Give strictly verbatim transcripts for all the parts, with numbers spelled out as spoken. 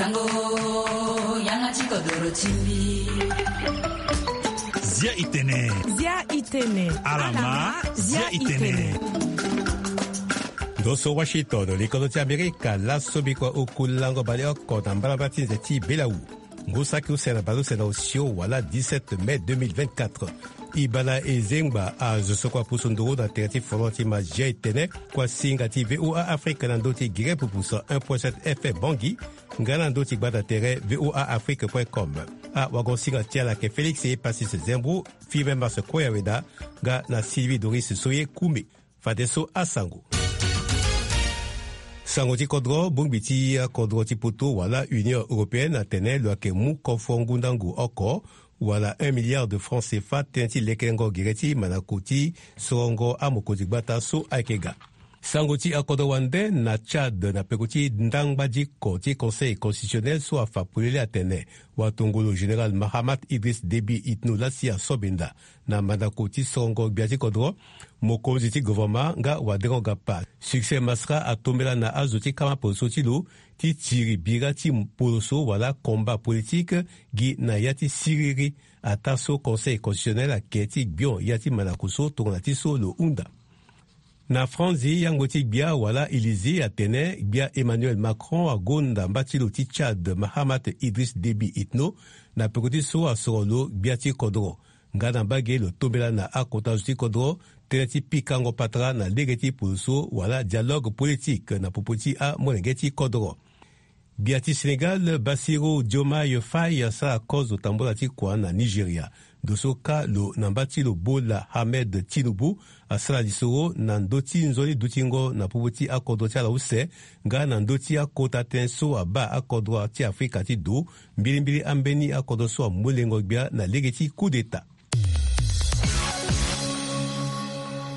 Tango yanga ti kodoro ti mbi. Zia itene. Zia itene. Alama, zia itene. Ndo so Washington, likolo ti Amerika, laso bikua oku lango baleoko na mbalambala ti nze ti belawu. Ngu saki use na baleuse na osio wala dix-sept mai deux mille vingt-quatre. Ibana ezengba azo so kua pusu nduru na tere ti folon ti mazia etene kua singa ti V O A Afrique na ndö ti Guinée pupu cent un point sept F M Bangui, nga na ndö ti gbata tere V O A Afrique point com. Awagosinga ti ala ayeke Félix Epasis Zembro, Five Mars Koyaweda, nga na Sylvie Doris Soye Koumé. Fadeso asango. Sango ti kodro, bongbi ti akodro ti poto wala Union Européenne atene lo yeke mu kofo ngundangu oko wala un milliard de francs C F A tënë ti lekerengo gere ti mandako ti sorongo amokonzi gbata so ayeke ga. Sango ti akodro wande na Tchad na peko ti ndangba diko ti Conseil constitutionnel so afa polele atene watongolo général Mahamat Idriss Déby Itno lasi asobenda na mandako ti sorongo gbia ti kodro, mokonzi ti gouvernement nga waderengo gapa. Succès Masra atombela na azo ti kama poroso ti lo ti tiri bira ti poroso wala combat politique gi na ya ti siriri, ataa so Conseil constitutionnel ayeke ti gbion ya ti mandako so tongana ti so lo hunda. Na Franzi, yango ti gbia wala Élysée atene gbia Emmanuel Macron agonda mba ti lo ti Tchad Mahamat Idriss Déby Itno na peko ti so asoro lo gbia ti kodro. Nga na mbage lo tombela na akota zo ti kodro tënë ti pikango patara na lege ti poroso wala dialogue politique na popo ti amolenge ti kodro. Gbia ti Sénégal, Bassirou Diomaye Faye asara kozo tambula ti kua na Nigeria. Ndo so kâ lo na mba ti lo Bola Ahmed Tinubu asara lisoro na ndö ti nzoni dutingo na popo ti akodro ti ala use, nga na ndö ti akota tënë so abaa akodro ti Afrika ti do, mbilimbili ambeni akodro so amu lengo gbia na lege ti coup d'État.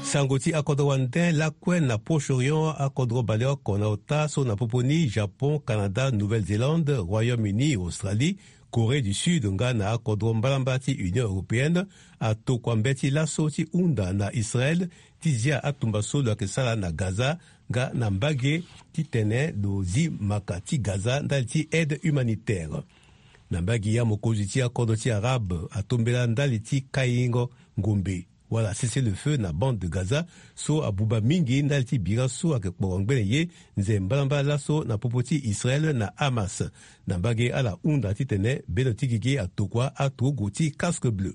Sango ti akodro wande lakue na Proche-Orient, akodro baleoko na ota so na popo ni Japon, Canada, Nouvelle-Zélande, Royaume-Uni, Australie, Corée du Sud nga na akodro mbalambala ti Union Européenne atokua mbeti laso ti hunda na Israël ti zia atumba so lo yeke sara na Gaza, nga na mbage titene lo zi maka ti Gaza ndali ti aide humanitaire. Na mbage ya, mokonzi ti akodro ti Arabe atombela ndali ti kaingo ngombe wala cessez-le-feu na bande de Gaza so abuba mingi ndali ti bira so ayeke kporo ngbene ye nze mbalambala laso na popo ti Israël na Hamas. Na mbage ala hunda titene bendo ti gigi atokua aturugu ti casque bleu.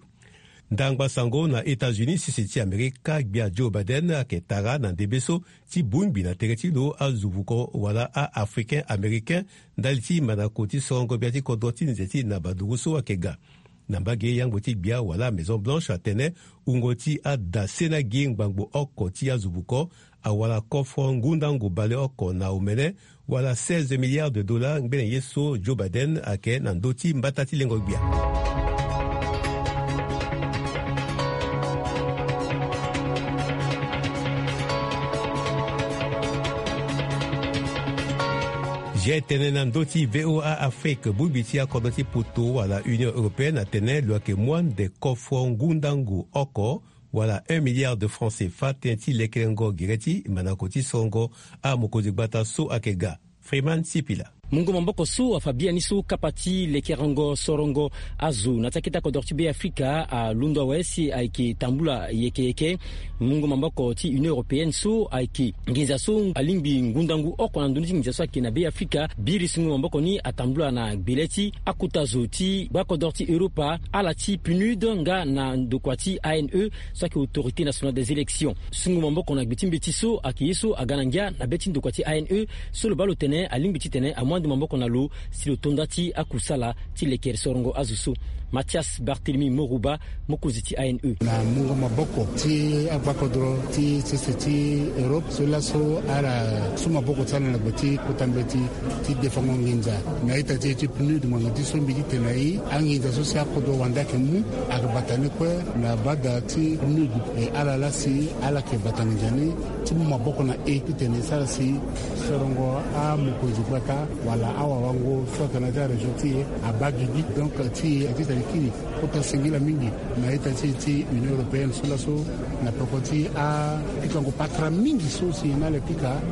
Ndangba sango na États-Unis, sese ti Amerika, gbia Joe Biden ayeke tara na ndembe so ti bongbi na tere ti lo azo vuko wala a-Africain Américain ndali ti mandako ti sorongo gbia ti kodro ti nze ti na baduru so ayeke ga. Na mbage, yango ti gbia wala Maison Blanche atene wungo ti ada sena gi ngbangbo oko ti azo vuko awara kofo ngundangu baleoko na omene, wala seize milliards de dollars ngbene ye so Joe Biden ayeke na ndö ti mbata ti lengo gbia. Zia etene na ndö ti V O A Afrique, bongbi ti akodro ti poto wala Union Européenne atene lo yeke mu ande kofo ngundangu oko wala un milliard de francs C F A tënë ti lekerengo gere ti mandako ti sorongo amokonzi gbata so ayeke ga. Freeman Sipila. Mungo maboko so afa biani so kapa ti lekerengo sorongo azo na ti akete akodro ti Be Afrika alondo awe si ayeke tambula yeke yeke. Mungo maboko ti Union Européenne so ayeke nginza so alingbi ngundangu oko na ndoni ti nginza so ayeke na Be Afrika, biri so mungo maboko ni atambula na gbele ti akota zo ti gbakodro ti Europa, ala ti PNUD nga na ndokua ti A N E so ayeke Autorité Nationale des Élections. Sungo maboko na gbe ti mbeti so ayeke ye so aga na ngia na be ti ndokua ti A N E so lo baa lo tene alingbi titene amu ande maboko na lo si lo to nda ti akusala ti lekere sorongo azo so. Mathias Barthélemy Morouba, mokonzi ti A N E. Na mungo maboko ti agbakodro ti sese ti Europe so laso ala su maboko ti ala na gbe ti kota mbeti ti defango nginza na ita ti e ti PNUD ngbanga ti so mbi ti tene na e anginza so si akodro wande ayeke mu ayeke bata ni kue na bada ti PNUD. E ala laa si ala yeke bata nginza ni ti mu maboko na e titene e sara si sorongo amokonzi gbata wala awawango so ayeke na ya ti arégion ti e abaa gigi. Donc ti e aye ti tene kiri kota singila mingi na ita ti e ti Union Européenne so laso na peko ti apikango patara mingi so si e na ala pika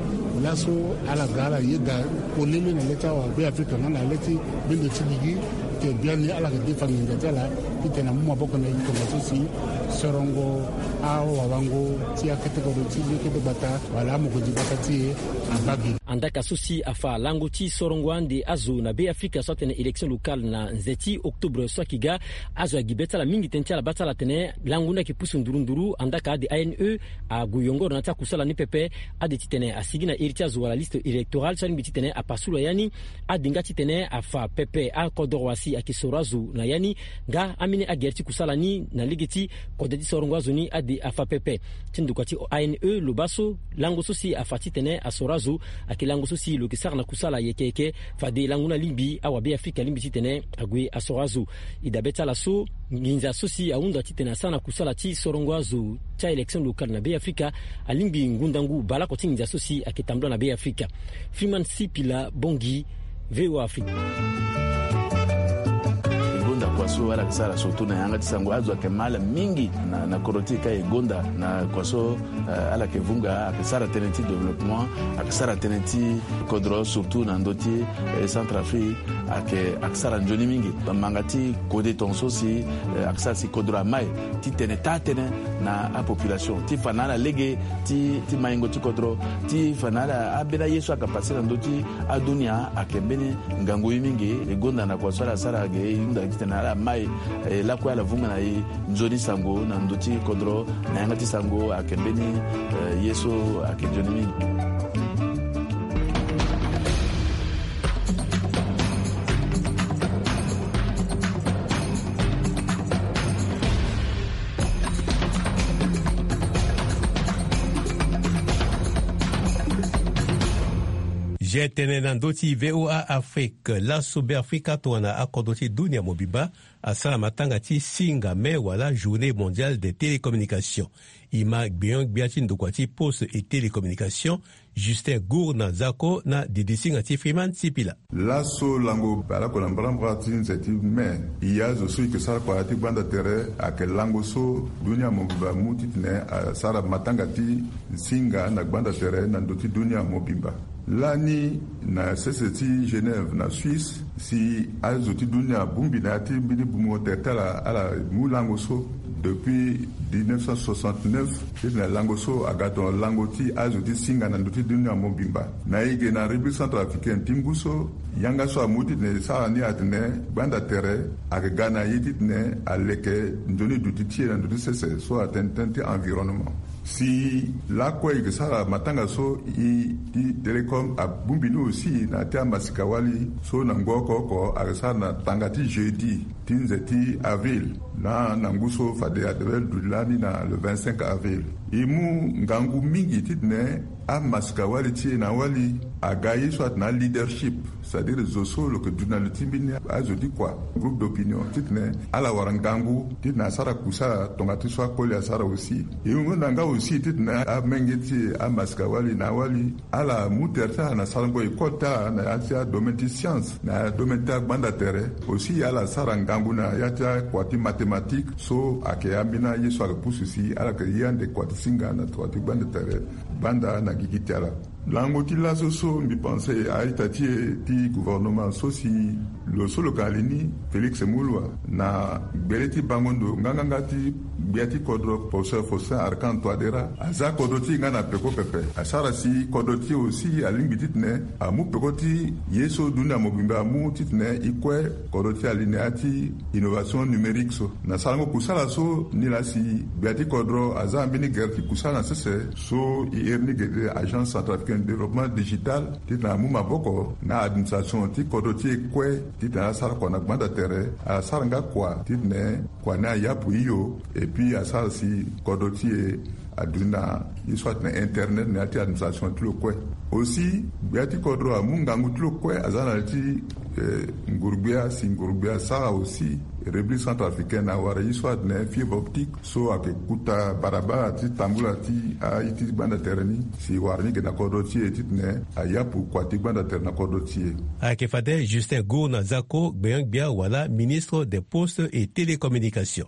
Laso ala ga ala yeda polele na le ti awa Be Afrika nga na le ti bendo ti gigi. Te biani ala yeke defa nginza ti ala titene amu maboko na e tongaso si sorongo awawango ti akete kodro ti le kete gbata wala amokonzi gbata ti e abaa gi. Andaka so si afa lango ti sorongo ande azo na Be Afrika so atene élection locale na nze ti octobre so ayeke ga. Azo ayeke gi be ti ala mingi tënë ti ala baa ti ala atene lango ni ayeke pusu nduru nduru. Andaka ade A N E ague yongoro na ya ti akusala ni pepe. Ade titene asigi na iri ti azo wala liste électorale so alingbi titene apasula ya ni. Ade nga titene afa pepe akodoro wa si ayeke soro azo na ya ni. Nga ambeni agere ti kusala ni na lege ti kode ti sorongo azo ni ade afa pepe. Ti ndokua ti A N E lo baa so lango so si afa titene asoro azo ayeke lango so si lo yeke sara na kusala yeke yeke. Fade lango ni alingbi awa Be Afrika alingbi titene ague asoro azo. E dabe ti ala so nginza so si ahunda titene asara na kusala ti sorongo azo ti a-élection locale na Be Afrika alingbi ngundangu baleoko ti nginza so si ayeke tambula na Be Afrika. Freeman Sipila Bongi, V O A Afrique. E gonda kua so ala yeke sara surtout na yanga ti sango, azo ayeke ma ala mingi na, na kodro ti e ka e gonda na kua so, eh, ala yeke vunga, ayeke sara tënë ti développement, ayeke sara tënë ti kodro surtout na ndö ti, eh, Centrafrique, ayeke, ayeke sara nzoni mingi. Manga ti kode tongaso si, eh, ayeke sara si kodro amai titene taa tënë na apopulation ti fa na ala lege ti, ti maingo ti kodro, ti fa na ala ambeni aye so ayeke pase na ndö ti adunia ayeke mbeni ngangu ye mingi. E gonda na kua so ala sara ge e hunda titene ala mai, eh, lakue ala vunga na e nzoni sango na ndö ti kodro na yanga ti sango ayeke mbeni, eh, ye so ayeke nzoni mingi. Ge tene na ndö ti V O A Afrique, laso Be Afrika tongana akodro ti dunia mobimba asara matanga ti singa me wala Journée Mondiale des Télécommunications. E ma gbenyo-gbia ti ndokua ti Poste et Télécommunication, Justin Gourna Zako na didi singa ti Freeman Sipila. Laso lango baleoko na mbarambara ti nze ti me, e ye azo so e yeke sara kua ti gbanda tere ayeke lango so dunia mobimba amu titene asara matanga ti singa na gbanda tere na ndö ti dunia mobimba. Lani na sese ti Genève na Suisse, si azo ti dunia abongbi na ya ti mbeni bungo tere ti ala, ala mu lango so depuis dix-neuf cent soixante-neuf, titene lango so aga tongana lango ti azo ti singa na ndö ti dunia mobimba. Na e ge na République Centrafricaine ti ngu so, yanga so amu titene e sara ni atene gbanda tere ayeke ga na e titene aleke nzoni duti ti e na ndö ti sese so atene tënë ti environnement. Si lakue e yeke sara matanga so e ti Télécom abongbi ni aussi na ya ti amasika-wali so na ngu oko oko ayeke sara na tanga ti jeudi ti nze ti avril, na, na ngu so fade adevel duti lani na le vingt-cinq avril. E mu ngangu mingi titene amasika-wali ti e na awali aga ye so atene aleadership, c'est-à-dire zo so lo yeke duti na li ti mbeni azo ti kua, groupe d'opinion, titene ala wara ngangu titene asara kusala tonga ti so akoli asara aussi. E hunda nga aussi titene amenge ti e amasika-wali na awali ala mu tere ti ala na sarango école ti ala na ya ti adomaine ti science, na adomaine ti agbanda tere. Aussi ala sara ngangu na ya ti akua ti mathématique so ayeke ambeni aye so ayeke pusu si ala yeke ye ande kua ti singa na kua ti gbanda tere, gbanda na gigi ti ala. Lango ti laso so mbi pense a-ita ti e ti gouvernement so si lo so lo yeke na li ni, Félix Moloua, na gbele ti bango ndo nganganga ti gbia ti kodro, professeur Faustin Archange Touadéra, aza kodro ti e nga na peko pepe. Asara si kodro ti e aussi alingbi titene amu peko ti ye so dunia mobimba amu titene e kue kodro ti e ali na ya ti innovation numérique so. Na sarango kusala so, nilaa si gbia ti kodro aza na mbeni gere ti kusala na sese so e iri ni gede Agence Centrafricaine de Développement Digital, titene amu maboko na administration ti kodro ti e kue titene asara kua na gbanda tere, asara nga kua titene kua ni ayapu hio, et puis asara si kodro ti e aduti na ye so atene internet na ya ti administration ti lo kue. Aussi gbia ti kodro amu ngangu ti lo kue aza na li ti, eh, nguru-gbia, si nguru-gbia asara aussi République Centrafricaine awara ye so atene fibre optique so ayeke kuta barabara ti tambula ti aye ti gbanda tere ni, si wara ni ge na kodro ti e titene ayapu kua ti gbanda tere na kodro ti e. Ayeke fade Justin Gourna Zako, gbenyo-gbia wala ministre des Postes et Télécommunications.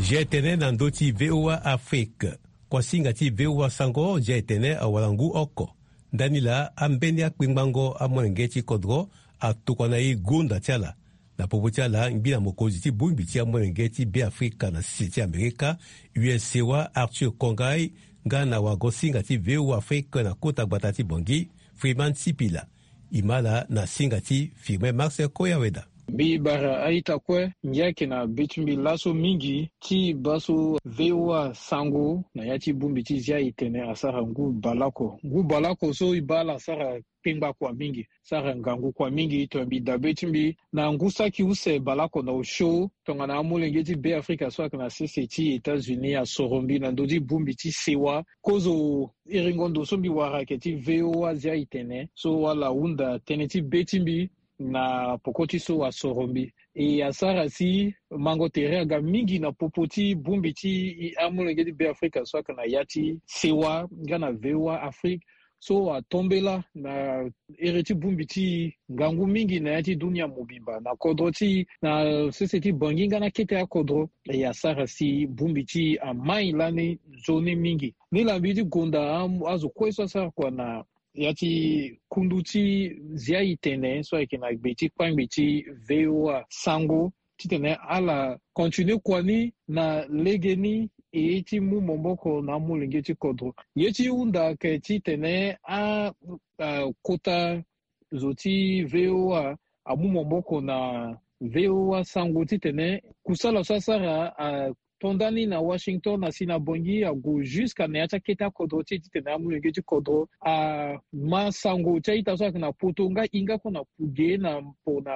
Zia etene na ndö ti VOA Afrique. Kuasinga ti VOA Sango, zia etene awara ngu oko. Ndani laa ambeni akpengbango amolenge ti kodro atokua na e gonda ti ala. Na popo ti ala, ngbi na mokonzi ti bongbi ti amolenge ti Beafrika na sese ti Amerika, U S Sewa Arthur Kongai, nga na wagosinga ti VOA Afrique na kota gbata ti Bangui, Freeman Sipila. E ma ala na singa ti Firmin Marcel Koyaweda. Mbi bara a-ita kue, ngia yeke na be ti mbi laso mingi ti baa so VOA Sango na ya ti bongbi ti Zia Itene asara ngu baleoko. Ngu baleoko so e baa ala asara kpengba kua mingi, sara ngangu kua mingi, tongana mbi dabe ti mbi na ngu saki use baleoko na osio, tongana amolenge ti Beafrika so ayeke na sese ti États-Unis asoro mbi na ndö ti bongbi ti sewa kozo eringo ndo so mbi wara ayeke ti VOA Zia Itene, so ala hunda tënë ti be ti mbi na poko ti so asoro mbi. E asara si mango tere aga mingi na popo ti bongbi ti amolenge ti Beafrika so ayeke na ya ti sewa nga na VOA Afrique, so atombela na ere ti bongbi ti e ngangu mingi na ya ti dunia mobimba, na kodro ti e, na sese ti Bangui nga na kete akodro. E asara si bongbi ti e amai lani nzoni mingi. Nilaa mbi ti gonda a, azo kue so asara kua na ya ti kundu ti Zia Itene so ayeke na gbe ti kpangbi ti VOA Sango, titene ala continue kua ni na legeni, e ti mu maboko na amolenge ti kodro. Ye ti hunda ayeke titene a, a, kota zo ti VOA amu maboko na VOA Sango titene kusala so asara ato ndani na Washington asi na Bangui ague jusqu'à na ya ti akete akodro ti e titene amolenge ti kodro ama sango ti a-ita so ayeke na poto nga e hinga kue na puge na po na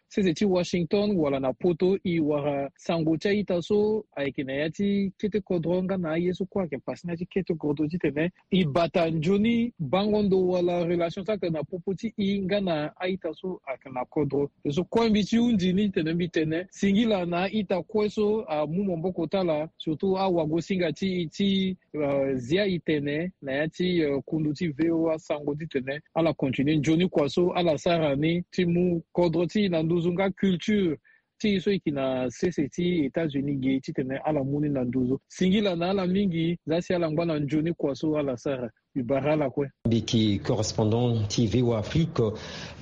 sese ti Washington wala na poto, e wara sango ti a-ita so ayeke na ya ti kete kodro nga na aye so kue ayeke pasi na ya ti kete kodro titene e bata nzoni bango ndo wala relation so ayeke na popo ti e nga na a-ita so ayeke na kodro. Ye so kue mbi ti hundi ni tene mbi tene singila na a-ita kue so amu maboko ti ala, surtout awagosinga ti e ti, euh, Zia Itene na ya ti, euh, kundu ti VOA Sango titene ala continue nzoni kua so ala sara ni ti mu kodro ti e na nduzu nga culture ti e so e yeke na sese ti États-Unis ge titene ala mu ni na nduzu. Singila na ala mingi, za si ala ngba na nzoni kua so ala sara. Mbi bara ala kue. Mbi yeke correspondant ti VOA Afrique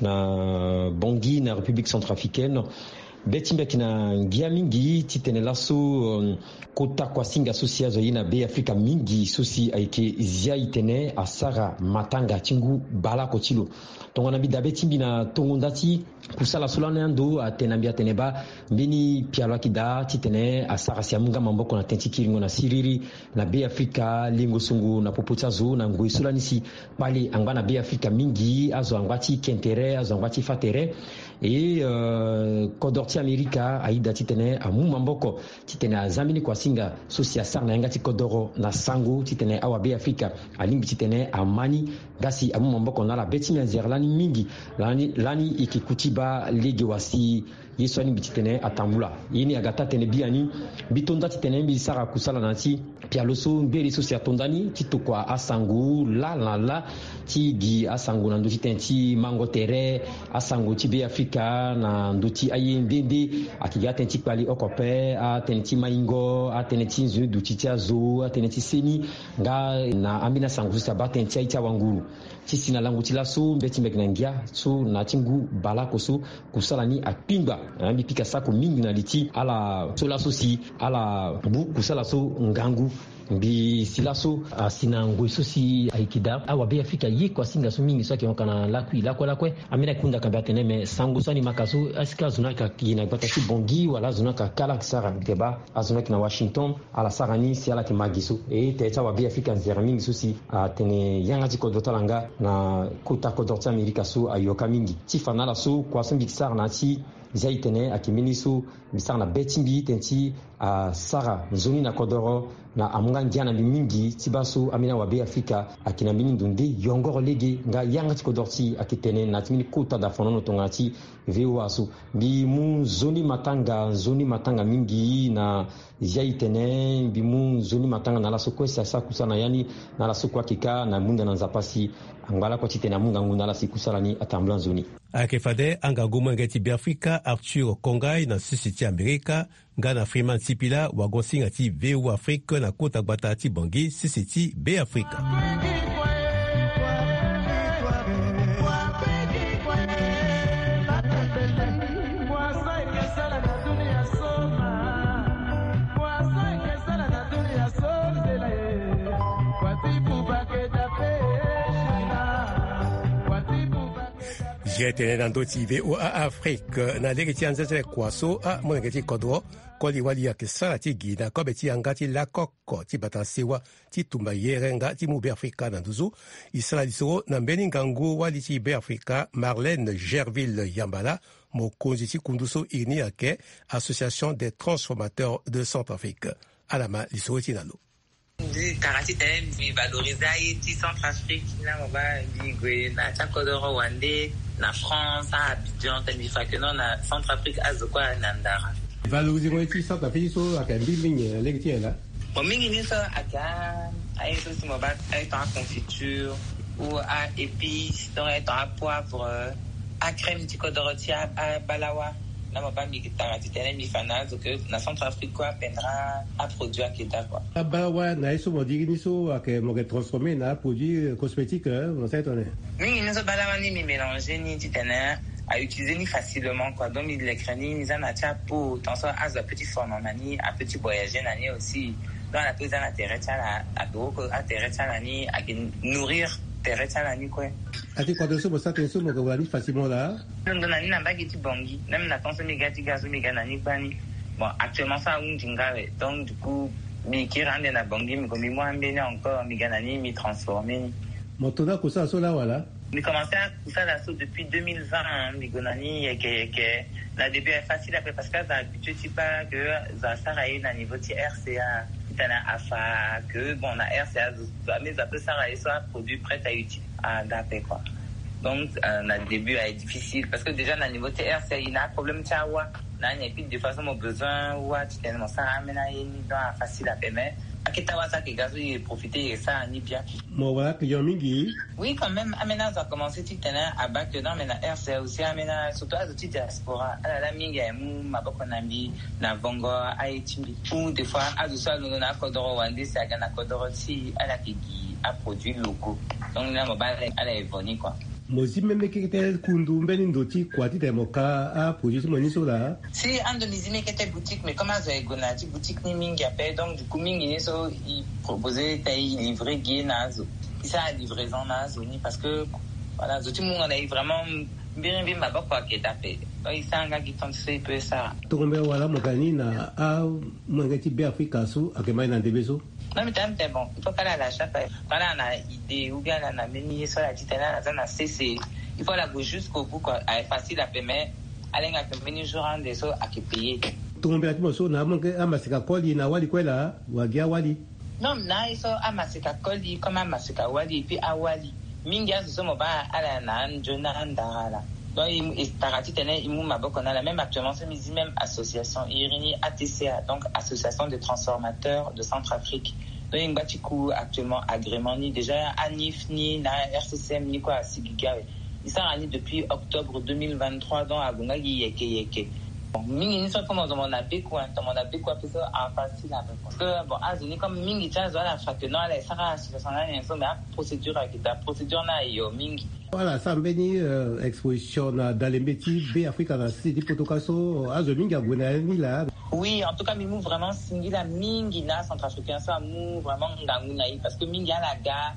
na Bangui na République centrafricaine. Be ti mbi ayeke na ngia mingi titene laso, euh, kota kuasinga so si azo aye na Beafrika mingi so si ayeke Zia Itene asara matanga ti ngu baleoko ti lo. Tongana mbi dabe ti mbi na tongo nda ti kusala so lani ando atene na mbi atene baa mbeni pialo ayeke daa titene asara si amu nga maboko na tënë ti kiringo na siriri na Beafrika, lingo songo na popo ti azo na ngoi so lani si kpale angba na Beafrika mingi, azo angba ti ke tere, azo angba ti fa tere. E, euh, kodoro ti Amerika ayeda titene amu maboko titene aza mbeni kuasinga so si asara na yanga ti kodoro na sango titene awabeafrika alingbi titene ama ni. Nga si amu maboko na ala, be ti mbi anzere lani mingi. Lani, lani e yeke ku ti baa lege wa si ye so alingbi titene atambula. Ye ni aga taa tënë biani. Mbi to nda titene mbi sara kusala na ya ti pialo so ngbere so si ato ndani ti tokua asango laa na laa ti gi asango na ndö ti tënë ti mango tere, asango ti Beafrika na ndö ti aye nde nde. Ayeke gi atënë ti kpali oko ape, atënë ti maingo, atënë ti nzoni duti ti azo, atënë ti seni, nga na ambeni asango so si abaa tënë ti aye ti awanguru. Ti si na lango ti laso mbeti mbi ayeke na ngia so na ya ti ngu baleoko so kusala ni akpingba. Mbi pika sako mingi na li ti ala so laso si ala bu kusala so ngangu. Mbi si laso asi na ngoi so si ayeke daa awabeafrika ye kuasinga so mingi so ayeke hon ka na lakui lakue lakue. Ambeni ayeke hunda ka mbi atene me sango so ani ma ka so, est-ce que azo ni ayeke gi na gbata ti Bangui wala azo ni ayeke kala sara? Mbi yeke baa azo ni ayeke na Washington, ala sara ni si ala yeke ma gi so. E tere ti awabeafrika nzere mingi so si atene yanga ti kodro ti ala nga na kota kodro ti Amerika so ayoka mingi. Ti fa na ala so kua so mbi yeke sara na ya ti Zia Itene ayeke mbeni so mbi sara na be ti mbi tënë ti asara nzoni na kodoro na amu nga ngia na mbi mingi ti baa so ambeni awabeafrika ayeke na mbeni ndo nde yongoro lege nga yanga ti kodoro ti e ayeke tene na ya ti mbeni kota dafonono tongana ti VOA so. Mbi mu nzoni matanga, nzoni matanga mingi na Zia Itene, mbi mu nzoni matanga na ala so kue si asara kusala na ya ni, na ala so kue ayeke kâ na munda na Nzapa si angba lakue titene amu ngangu na ala si kusala ni atambula nzoni. Ayeke fade angangu molenge ti Beafrika Arthur Kongai na sese ti Amerika Nga na Freeman Sipila, wagon-singa ti V O Afrique na kota gbata ti Bangui, sese ti Beafrika. Zia tene na ndö ti V O A Afrique na lege ti anzenze kua so amolenge ti kodro koli wali ayeke sara ti gi na kobe ti yanga ti lakoko ti bata sewa ti tumba yere nga ti mu Beafrika na nduzu. E sara lisoro na mbeni ngangu wali ti Beafrika, Marlène Gerville Yambala, mokonzi ti kundu so iri ni ayeke Association des Transformateurs de Centrafrique. Ala ma lisoro ti na lo. Mbi tara titene mbi valoriser aye ti Centrafrique. Na mo baa mbi gue na ya ti akodoro wande na France, a Abidjan, titene mbi fa que non, na Centrafrique azo kue ayeke na ndara. Valoriser ngo ye ti Centrafrique so ayeke mbi mingi na lege ti nyen laa? Bon, mingi ni so ayeke a, aye so si mo baa aye tongana aconfiture ou a épice, donc aye tongana apoivre, acrème ti kodoro ti a, abalawa. Na mo baa mbi tara titene mbi fa na azo que na Centrafrique kue apendra aproduit ayeke daa kua. Abalawa na ye so mo diri ni so ayeke mo yeke transformer na aproduit cosmétique, hein, mo sara tongana nyen? Mingi ni so balawa ni mbi mélanger ni titene a utiliser ni facilement kua. Donc mbi leke ni, mbi za na ya ti apeau, tant so azo apeut ti fono na ni, apeut ti voyager na ni aussi. Donc ala peut za na tere ti ala, ake woko atere ti ala ni, ake nourrir tere ti ala ni kue. Ake kua tene so mo sara tene so mo yeke wara ni facilement laa? Londo na ni na mbage ti Bangui, même na temps so mbi ga ti ga so mbi ga na ni gbani. Bon, actuellement so ahunzi nga awe, donc du coup mbi kiri ande na Bangui, mbi gue mbi mu ambeni encore, mbi ga na ni, mbi transformer ni. Mo to ni akusala so laa wala? Mbi commencer akusala so depuis deux mille vingt, hein, mbi gue na ni yeke yeke. Na début ayeke facile ape parce que azo habitué ti baa que zo asara ye na niveau ti R C A. Titene afa que bon, na R C A zo, zo ame zo apeut sara ye so aproduit prêt à utiliser, ah, dape kua. Donc euh, na début ayeke difficile parce que déjà na niveau ti R C A e na aproblème ti awa. Na ni et puis des fois so mo besoin wâ titene mo sara ambeni aye ni, donc afacile ape, mais akete awa so ayeke ga so e profiter e sara ni bien. Mo wara client mingi? Oui, quand même, ambeni azo akomanse titene abaa que non, mais na R C A aussi, ambeni a, surtout azo ti diaspora, ala laa mingi aye mu maboko na mbi na vongo aye ti mbi. Ou des fois azo so alondo na akodoro wande si aga na kodoro ti e, ala yeke gi aproduit locaux. Donc ni laa mo baa ala, ala evo ni kua. Mo zi même kete kundu mbeni ndo ti kua titene mo ka aproduit ti mo ni so laa? Si, ando mbi zi même kete boutique, mais comme azo aye gue na ya ti boutique ni mingi ape, donc du coup mingi ni so e proposer titene e livrer gi ye na azo. E sara livraison na azo ni parce que voilà, zo ti mungo na e vraiment mbiri mbiri maboko ayeke daa ape. Donc e sara nga gi temps so e peut sara. Tongombe wala mo ga ni na amolenge ti Beafrika so ayeke ma e na ndembe so? Non, mbi tene mbi tene bon, il faut kala ala chaque fois, kala na idée ou bien ala na mbeni ye so ala titene ala za na sese. Il faut ala gue jusqu'au bout kua. Ayeke facile ape, mais ala hinga que mbeni jour ande so ayeke payer. Tongombe ti mo so na amolenge amaseka koli na awali kue laa, wala gi awali? Non, na ye so amaseka koli comme amaseka wali et puis awali. Mingi azo so mo baa ala na anzoni na andara laa. Donc e, e tara titene e mu maboko na ala. Même actuellement so mbi zi même association, e iri ni A T C A, donc Association des Transformateurs de Centrafrique. Donc e ngba ti ku actuellement agrément ni, déjà ANIF ni na R C C M ni kue asigi gi awe. E sara ni depuis octobre deux mille vingt-trois, donc ague nga gi yeke yeke. Bon, mingi ni so tongana mo zo mo na beku, hein, tongana mo na beku ape so afacile ape. Parce que bon, azo ni comme mingi ti azo ala fa que non, ala e sara association na nyen so, mais aprocédure ayeke daa, procédure ni ayo mingi. Ala sara mbeni euh, exposition na dalembe ti Beafrika na sese ti Potoka so, azo mingi ague na ya ni laa. Oui, en tout cas mbi mu vraiment singila mingi na Centrafricain so amu vraiment ngangu na e, parce que mingi ala ga,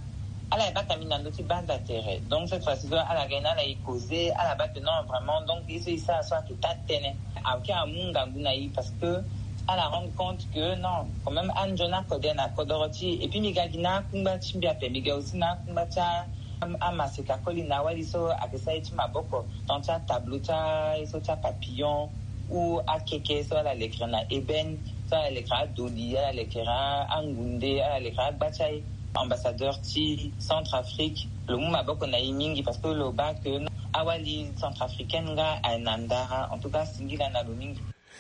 ala e baka mbi na ndö ti banza tere. Donc cette fois-ci so ala ga ni, ala e causer, ala baa que non vraiment, donc ye so e sara so ayeke taa tënë. Ayeke amu ngangu na e parce que ala rendre compte que non, quand même anzoni akode na kodoro ti e. Et puis mbi ga gi na akungba ti mbi ape, mbi ga aussi na akungba ti a, am-, amaseka koli na awali so ayeke sara ye ti maboko, tant ti atableau ti a, ye so ti apapillon ou akeke so ala lekere na ébène, so ala lekere adoli, ala lekere a, angunde, ala lekere agba ti aye. Ambassadeur ti Centrafrique, lo mu maboko na e mingi parce que lo baa que awali centrafricaine nga aye na ndara. En tout cas singila na lo mingi.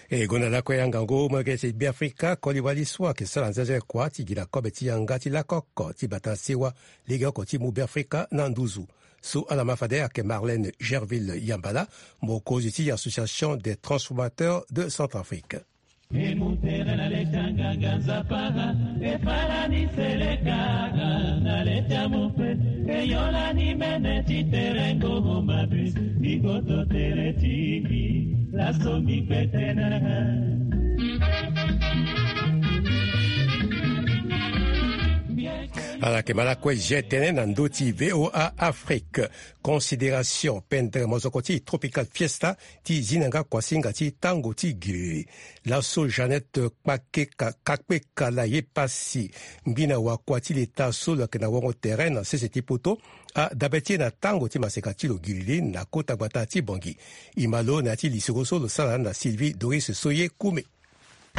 E gonda lakue angangu molenge ti Beafrika koli wali so ayeke sara nzenze kua ti gi na kobe ti yanga ti lakoko ti bata sewa lege oko ti mu Beafrika na nduzu. So ala ma fade ayeke Marlène Gerville Yambala, mokonzi ti Association des Transformateurs de Centrafrique. Emutere na leta nganga nzapara, efala ni selekara na leta mupe, eyola ni mene ti terengo mabus, bigoto tere tingi, laso mi petenaka. Ala yeke ma lakue, je tene na ndö ti V O A Afrique. Considération pendere mozoko ti Tropical Fiesta ti zi na nga kuasinga ti tango ti giri. Laso Jeannette Kpakeka, Kakpekala ye pasi, ngbina wakua ti leta so lo yeke na wango tere na sese ti poto, adabe ti e na tango ti maseka ti lo giriri na kota gbata ti Bangui. E ma lo na ya ti lisoro so lo sara na Sylvie Doris Soye Kume.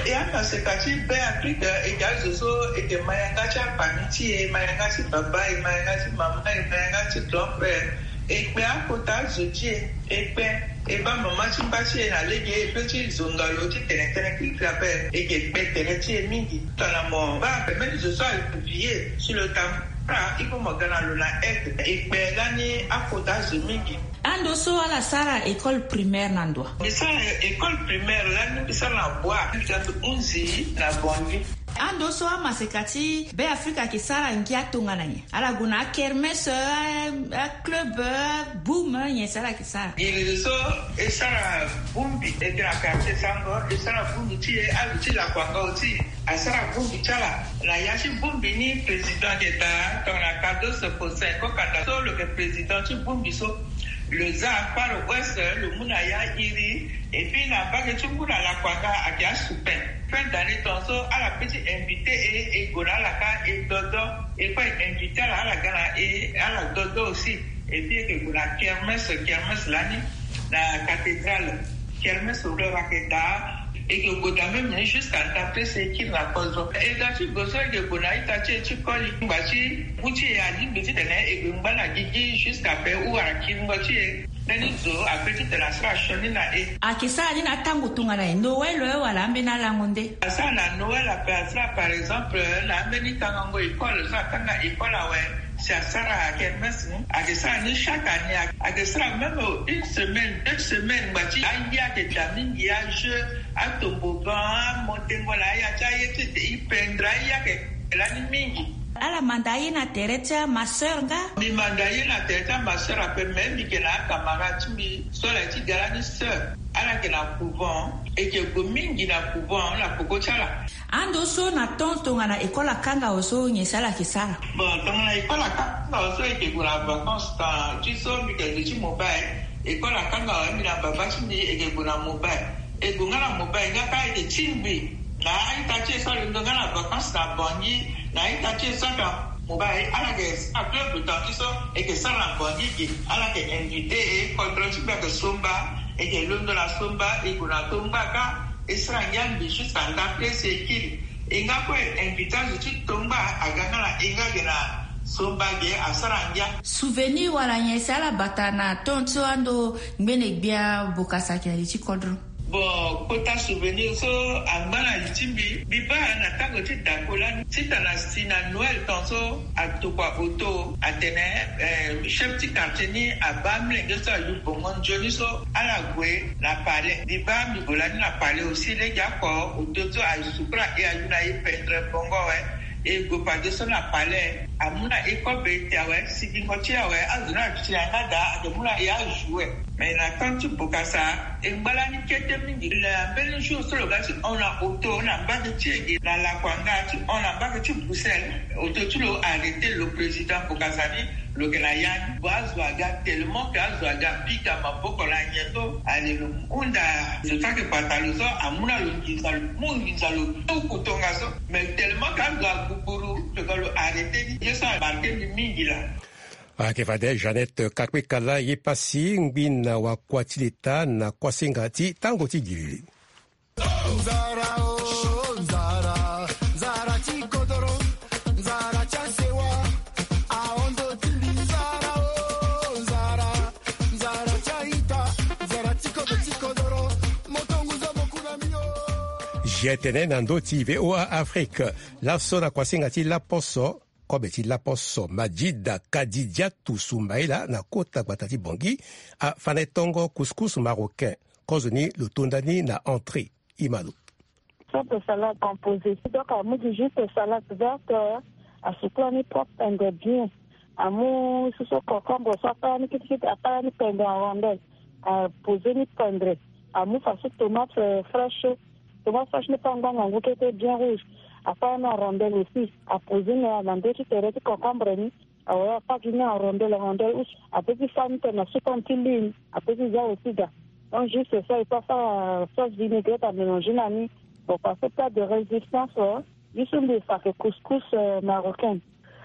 E amaseka ti Be Afrika, e ke azo so e ke ma yanga ti afami ti e, ma yanga ti baba, e ma yanga ti mama, e ma yanga ti grand-père. E kpe akota azo ti e, e kpe e baa mama ti mba ti e na lege e pe ti zonga lo ti tene tënë kiri ape. E ke kpe tere ti e mingi. Tongana mo baa mbeni zo so aye vie ti lo tambula, e ko mo ga na lo na aide. E kpe lani akota azo mingi. Ando so ala sara école primaire na ndo wa? Mbi sara école primaire lani mbi sara na Bwa, mbi ga mbi hunzi na Bangui. Ando so amaseka ti Be Afrika ayeke sara ngia tongana nyen? Ala gue na akermesse, a, aclub, a boum, nyen so ala yeke sara? Giri so e sara bungbi, e ke na quartier Sango, e sara bungbi ti e, azo ti lakua nga oti. Asara bungbi ti ala. Na ya ti bungbi ni, président ayeke daa tongana Cardozo Faustin Kokanda so lo yeke président ti bungbi so. Lo za Far West, lo mu na ya iri. Et puis na mbage ti ngu na lakua nga ayeke asupin. Fin d'année tongaso ala pe ti invité e, e gue na ala kâ e dodo. E kue e invité ala, ala ga na e, ala dodo aussi. Et puis e ke gue na kermesse, kermesse lani na cathédrale. Kermesse lo ayeke daa. E ke gue daa même ni jusqu'à nda pese e kiri na kozo. E ga ti gue so e ke gue na ita ti e ti koli. Ngba ti ngu ti e alingbi titene e gue ngba na gigi jusqu'à pe ou wala kiringo ti e. Mbeni zo ape titene asara sioni na e. Ayeke sara ni na tango tongana nyen? Noël wala ambeni alango nde? Asara na Noël ape, asara par exemple na ambeni tangango école so atanga école awe. Si asara kermesse ni, ayeke sara ni chaque année. Ayeke sara même une semaine, deux semaines, ngba ti aye ayeke daa mingi, ajeu, atomboggan, amontengo na aya ti aye ti e, e pendre aye ayeke lani mingi. Ala manda aye na tere ti amasseur nga? Mbi manda aye na tere ti amasseur ape, mais mbi yeke na acamarade ti mbi so ala ye ti ga lani sœur. Ala yeke na couvent, e yeke gue mingi na couvent na peko ti ala. Ando so na temps tongana école akanga awe so, nyen so ala yeke sara? Bon, tongana école akanga awe so, e yeke gue na vacances, temps ti so mbi yeke zo ti mobile. École akanga awe, mbi na baba ti mbi e yeke gue na mobile. E gue nga na mobile nga kâ e yeke tingbi na a-ita ti e so alondo nga na vacances na Bangui, na a-ita ti e so aka mobile, ala yeke sara club, temps ti so e yeke sara na Bangui ge. Ala yeke invité e, kodro ti mbi ayeke Somba, e yeke londo na Somba, e gue na Tongba kâ. E sara ngia mbi jusqu'à nda place e kiri. E nga kue invité azo ti Tongba aga nga na e nga ge na Somba ge, asara ngia. Souvenir wala nyen si ala bata na temps so ando ngbene gbia Bokassa ayeke na li ti kodro? Bon, kota souvenir so angba na li ti mbi, mbi baa na tango ti dako lani, titene asi na Noël temps so, atokua auto atene, eh, chef ti quartier ni abaa amolenge so ayu bongo nzoni so, ala gue na palais. Mbi baa mbi gue lani na palais aussi, lege oko auto so aye sukura e, ayu na e pendre bongo awe. E gue fadeso na palais, amu na e kobe ti awe, sigingo ti e awe, azo ni ayeke ti na yanga daa, ayeke mu na e ajoue. Mais na temps ti Bokassa, e ngba lani kete mingi. Na mbeni jour so lo ga ti hon na auto na mbage ti e ge na Lakuanga, ti hon na mbage ti Bruxelles, auto ti lo arrêté lo, président Bokassa ni lo yeke na ya ni. Bon, azo aga tellement que azo aga pika maboko na nyen so, ale lo hunda zo so ayeke bata lo so, amu na lo nginza, lo mu nginza, lo tuku tongaso. Mais tellement que azo agbuguru, lo ga lo arrêté ni. Ye so amarqué mbi mingi laa. Ayeke fade Jeannette Kakpekala ye pasi, ngbina wakua ti leta na kuasinga ti tango ti giriri. Nzara, oh, nzara, nzara ti kodoro, nzara ti asewa, ahondo ti mbi, nzara, oh, nzara, nzara ti aita, nzara ti kobe ti kodoro, moto ngu zo mo ku na mbi, oh. G T N na ndö ti V O A Afrique, laso na kuasinga ti laposo, kobe ti laposo Majida Kadidiatu Soumaila na kota gbata ti Bangui afa na e tongo couscous marocain. Kozoni lo tonda ni na entrée. Imalo. Sorte salade composée. Donc amu gi juste salade verte, asukula ni propre pendre bien. Amu susu concombre so akala ni kitikiti, akala ni pendre en rondelle, apose ni pendre. Amu faso tomate, euh, fraîche. Tomate fraîche ni pe angba ngangu kete bien rouge. Akala ni en rondelle aussi, apose ni na ndö ti tere ti concombre ni. Awe, apack ni en rondelle, rondelle use. Ape ti fa ni tene na sukon ti lune. Ape ti za aussi da. Donc juste ça, il faut faire sauce vinaigrette à mélanger na ni. Bon, parce que plat de résistance, euh, juste mbi sake couscous, euh, marocain.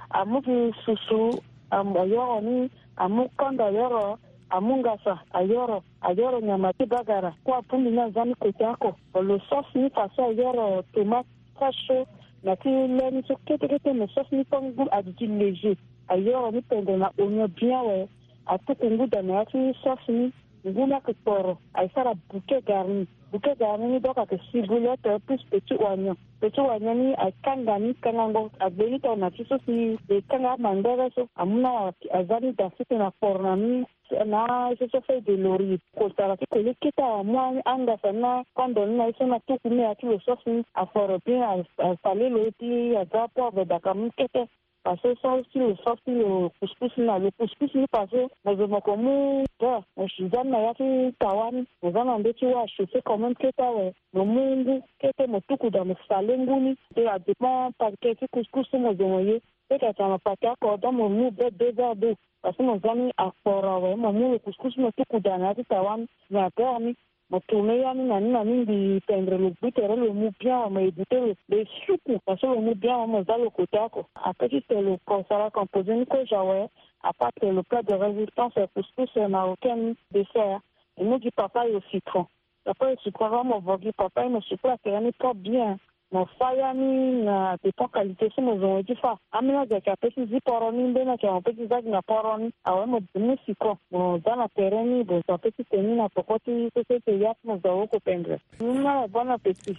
Amu gi susu, amu ayoro ni, amu kanda ayoro, amu ngasa ayoro, ayoro nyama ti bagara. Kua pundi ni aza ni kota oko. Bon, lo sauce ni faso ayoro tomate fraîche so, na ti le ni so kete kete, mais sauce ni pe ngu, aduti léger. Ayoro ni pendre na oignon bien awe. Atuku ngu da na ya ti sauce ni. Ngu ni ayeke kporo, aye sara bouquet garni. Bouquet garni ni donc ayeke ciboulette plus petit oignon. Petit oignon ni aye kanga ni kangango, agbe ni tongana ti so si e kanga amandere so. Amu na aza ni da site na kporo na ni. Na so so feuille de laurier. Kotara ti koli kete amu angasa na kondo ni na ye so na tuku ni ya ti lo sauce ni. Aforo bien, a, asale lo ti aza poivre daka mu kete. Parce que so ti lo sauce ti lo couscous ni na lo couscous ni parce que mo zo mo ko mu beurre, mo si za ni na ya ti tawa ni, mo za na ndö ti wâ chauffé quand même kete awe. Mo mu ngu kete mo tuku da mo sale ngu ni. Te adépend paquet ti couscous so mo zo mo ye. Peut-être atene na paquet oko donc mo mu be deux verres d'eau. Parce que mo za ni akporo awe, mo mu lo couscous mo tuku da na ya ti tawa ni na beurre ni. Mo tourner ya ni na ni na ni, mbi pendre lo gbu tere lo mu bien awe, mo éviter lo, lo suku. Parce que lo mu bien awe, mo za lo kota oko. Ape ti tene lo ko sara composé ni kozo awe. Ape ti tene lo plat de résistance, couscous marocain ni, dessert. E mu gi papaye au citron. Papaye au citron, mo vo gi papaye, mo sukula tere ni propre bien. Mo fa ya ni na dépend qualité so mo zo mo ye ti fa. Ambeni azo ayeke ape ti zi poro ni, mbeni ayeke mo pe ti za gi na poro ni. Awe, mo mu citron, mo za na tere ni, mo zo ape ti tene ni na poko ti société ya ti mo zo awoko pendre. Ni na bon appétit.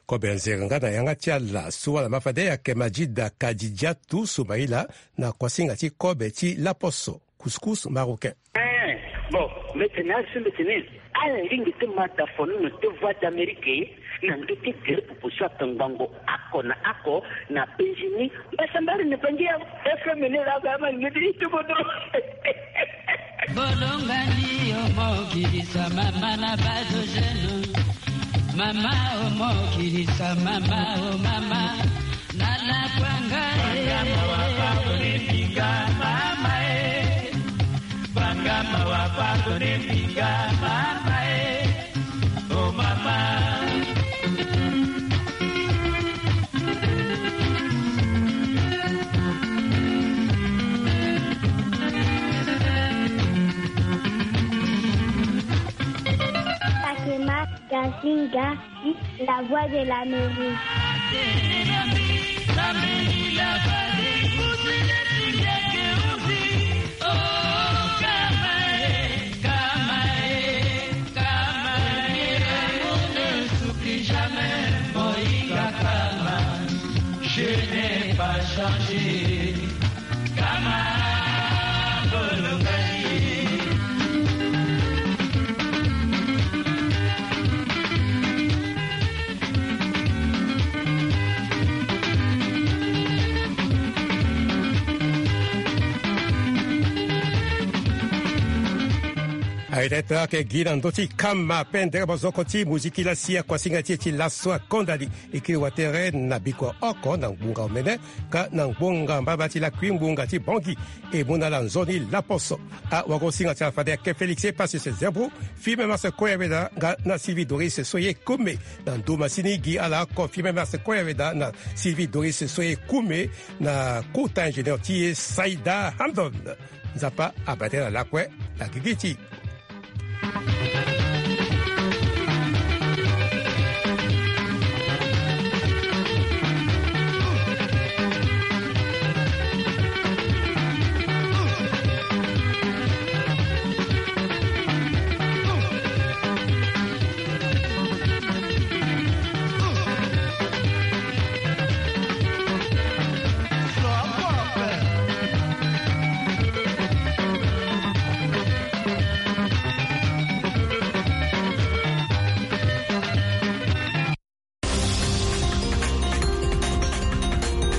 Kobe nzere nga na yanga ti ala so wala ma fade ayeke Majida Kadidjatu Soumaïla na kuasinga ti kobe ti laposo. Couscous marocain. Eh, bon, mbi tene asi mbi tene, ala lingbi ti ma da fo ni na ndö Voix d'Amérique, na ndö ti gere popo so atongbango oko na oko na penzi ni. Mbasambari na bangi ya F M ni la ba ma ngedi ti bodo. Bolongani omo girisa mama na bazo jeune. Mama omo girisa mama o mama. Nana kwanga e. Banga mawa pardonne mbinga mama e. Banga mawa pardonne mbinga mama e. Oh mama. Pakema Gazinga. La voix de l'Amérique. Je n'ai pas changé. Aye tete ayeke gi na ndö ti kama pendere bozoko ti muziki lasi akuasinga ti e ti laso akonda li. E kiri watere na biko oko na ngbonga omene. Ka na ngbonga mbaba ti lakui ngbonga ti bongi e mu na ala nzoni laposo. Awagosinga ti ala fade ake Félix e pasi se zebro. Fime mase koya weda nga na Sylvie Doris so ye kume. Na nduma sini gi ala oko Fime mase koya weda na Sylvie Doris so ye kume. Na kota ingénieur ti ye Saïda Hamdon. Nzapa abate na lakue na gigi ti